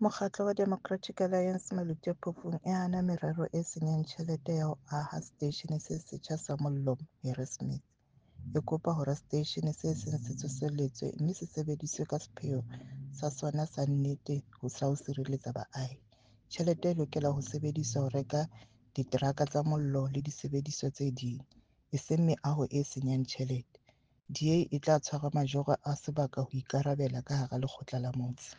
Mokgatlo wa Democratic Alliance Maluti-a-Phofung e hana merero e senyang tjhelete ya ho aha seteishene se setjha sa mollo Harrismith. E kopa hore seteishene se seng se tsosoloswe mme se sebediswe ka sepheo sa sona sa nnete sa ho sireletsa baahi. Tjhelete e lokela ho sebediswa ho reka diteraka tsa mollo le disebediswa tse ding, eseng meaho e senyang tjhelete. DA e tla tshwara majoro a sebaka ho ikarabella ka hara lekgotla la motse.